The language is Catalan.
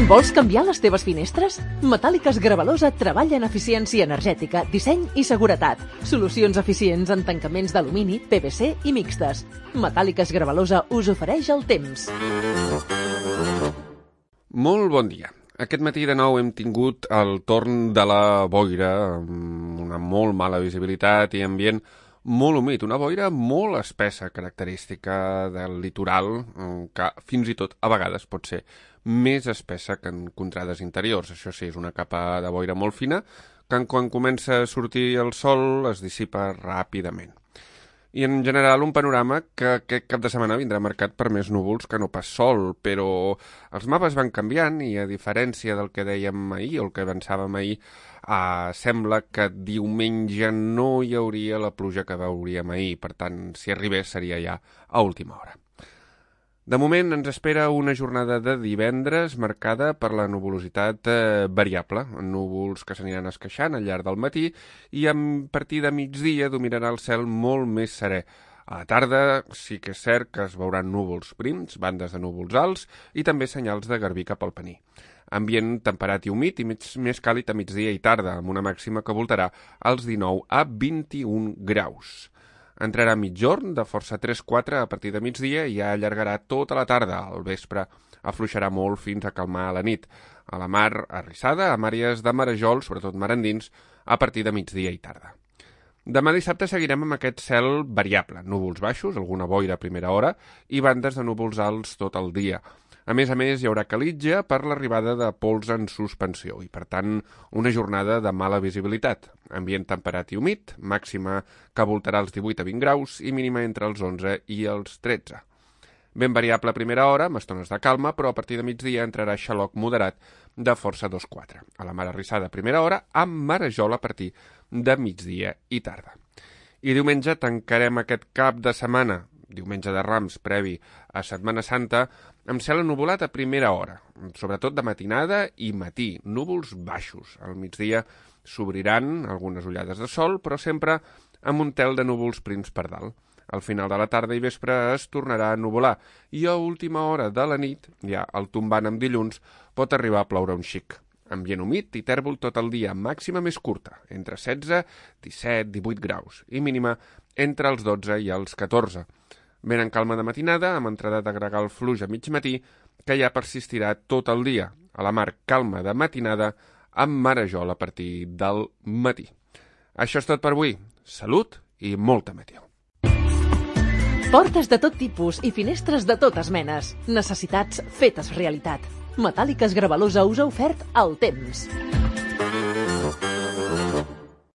Vols canviar les teves finestres? Metàl·liques Gravalosa treballa en eficiència energètica, disseny i seguretat. Solucions eficients en tancaments d'alumini, PVC i mixtes. Metàl·liques Gravalosa us ofereix el temps. Molt bon dia. Aquest matí de nou hem tingut el torn de la boira, amb una molt mala visibilitat i ambient molt humit, una boira molt espessa, característica del litoral, que fins i tot a vegades pot ser més espessa que en contrades interiors. Això sí, és una capa de boira molt fina, que quan comença a sortir el sol es dissipa ràpidament. I en general un panorama que aquest cap de setmana vindrà marcat per més núvols que no pas sol, però els mapes van canviant i a diferència del que dèiem ahir o el que avançàvem ahir, sembla que diumenge no hi hauria la pluja que veuríem ahir, per tant, si arribés seria ja a última hora. De moment ens espera una jornada de divendres marcada per la nuvolositat variable, núvols que s'aniran esqueixant al llarg del matí i a partir de migdia dominarà el cel molt més serè. A la tarda sí que és cert que es veuran núvols prims, bandes de núvols alts i també senyals de garbí cap al Pení. Ambient temperat i humit i més càlid a migdia i tarda, amb una màxima que voltarà als 19 a 21 graus. Entrarà mitjorn de força 3-4 a partir de migdia i ja allargarà tota la tarda. Al vespre afluixarà molt fins a calmar a la nit. A la mar arrissada, amb àrees de marejol, sobretot mar endins, a partir de migdia i tarda. Demà dissabte seguirem amb aquest cel variable, núvols baixos, alguna boira a primera hora i bandes de núvols alts tot el dia. A més, hi haurà calitja per l'arribada de pols en suspensió i, per tant, una jornada de mala visibilitat. Ambient temperat i humit, màxima que voltarà els 18 a 20 graus i mínima entre els 11 i els 13. Ben variable a primera hora, amb estones de calma, però a partir de migdia entrarà xaloc moderat de força 2-4. A la mar arrissada a primera hora, amb marejol a partir de migdia i tarda. I diumenge tancarem aquest cap de setmana, diumenge de Rams previ a Setmana Santa, amb cel ennuvolat a primera hora, sobretot de matinada i matí, núvols baixos. Al migdia s'obriran algunes ullades de sol, però sempre amb un tel de núvols prims per dalt. Al final de la tarda i vespre es tornarà a ennuvolar i a última hora de la nit, ja el tombant amb dilluns, pot arribar a ploure un xic. Ambient humit i tèrbol tot el dia, màxima més curta, entre 16, 17, 18 graus, i mínima entre els 12 i els 14. Ben en calma de matinada, amb entrada de gregal fluix a mig matí, que ja persistirà tot el dia. A la mar calma de matinada, amb marejol a partir del matí. Això és tot per avui. Salut i molta meteo. Portes de tot tipus i finestres de totes menes. Necessitats fetes realitat. Metàl·liques Gravalosa us ha ofert el temps.